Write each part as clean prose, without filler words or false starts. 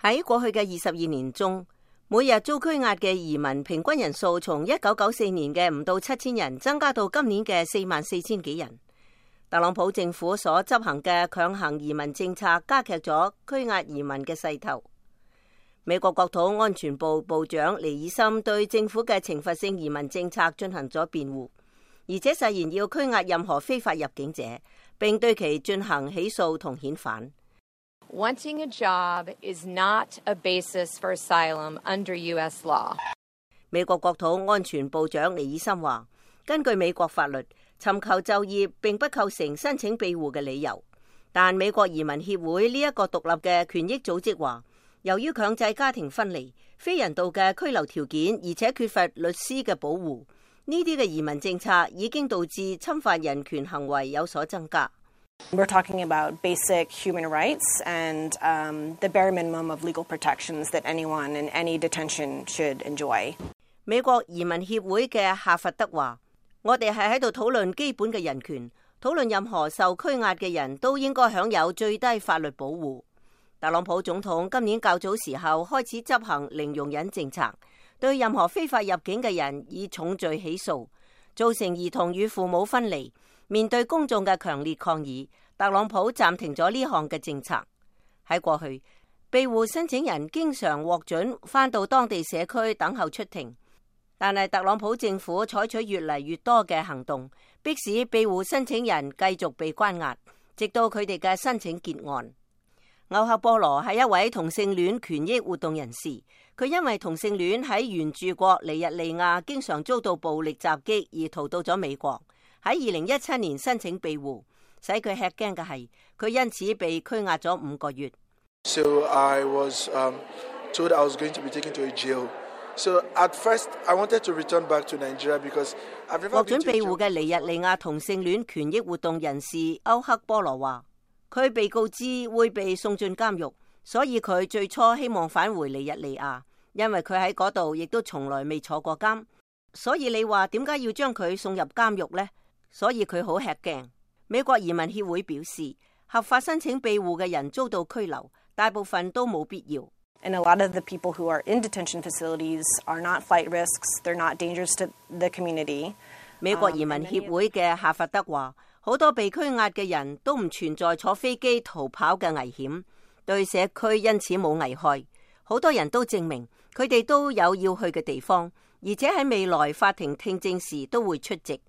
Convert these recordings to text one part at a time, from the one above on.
喺過去嘅22年中，每日遭拘押嘅移民平均人數從1994年嘅唔到7000人增加到今年嘅44000幾人。特朗普政府所執行嘅強行移民政策加劇咗拘押移民嘅勢頭。美國國土安全部部長尼爾森對政府嘅懲罰性移民政策進行咗辯護，而且誓言要拘押任何非法入境者，並對其進行起訴同遣返。Wanting a job is not a basis for asylum under U.S. law. 美國國土安全部長尼爾森話，根據美國法律，尋求就業並不構成申請庇護嘅理由。但美國移民協會呢一個獨立嘅權益組織話，由於強制家庭分離、非人道嘅拘留條件，而且缺乏律師嘅保護，呢啲嘅移民政策已經導致侵犯人權行為有所增加。We're talking about basic human rights and the bare minimum of legal protections that anyone in any detention should enjoy. 美國移民協會嘅夏佛德話，我哋係喺度討論基本嘅人權，討論任何受拘押嘅人都應該享有最低法律保護。特朗普總統今年較早時候開始執行零容忍政策，對任何非法入境嘅人以重罪起訴，造成兒童與父母分離。面對公眾嘅強烈抗議，特朗普暫停咗呢項嘅政策。喺過去，庇護申請人經常獲准返到當地社區等候出庭，但係特朗普政府採取越嚟越多嘅行動，迫使庇護申請人繼續被關押，直到佢哋嘅申請結案。歐克波羅係一位同性戀權益活動人士，佢因為同性戀喺原住國尼日利亞經常遭到暴力襲擊而逃到咗美國。喺2017年申請庇護，使佢吃驚嘅係，佢因此被拘押咗5個月。So I was told I was going to be taken to a jail. So at first I wanted to return back to Nigeria because I've never been to a jail. 獲准庇護嘅尼日利亞同性戀權益活動人士歐克波羅話，佢被告知會被送進監獄，所以佢最初希望返回尼日利亞，因為佢喺嗰度亦都從來未坐過監。所以你話點解要將佢送入監獄呢？所以佢好吃驚。美國移民協會表示，合法申請庇護嘅人遭到拘留，大部分都冇必要。And a lot of the people who are in detention facilities are not flight risks. They're not dangerous to the community. 美國移民協會嘅夏佛德話，好多被拘押嘅人都唔存在坐飛機逃跑嘅危險，對社區因此冇危害。好多人都證明佢哋都有要去嘅地方，而且喺未來法庭聽證時都會出席。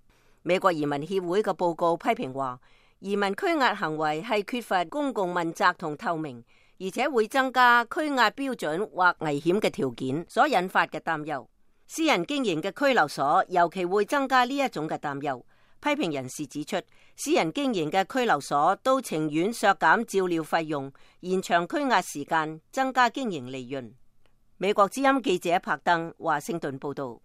美國移民協會嘅報告批評話，移民拘押行為係缺乏公共問責同透明，而且會增加拘押標準或危險嘅條件所引發嘅擔憂。私人經營嘅拘留所尤其會增加呢一種嘅擔憂。批評人士指出，私人經營嘅拘留所都情願削減照料費用，延長拘押時間，增加經營利潤。美國之音記者柏登華盛頓報道。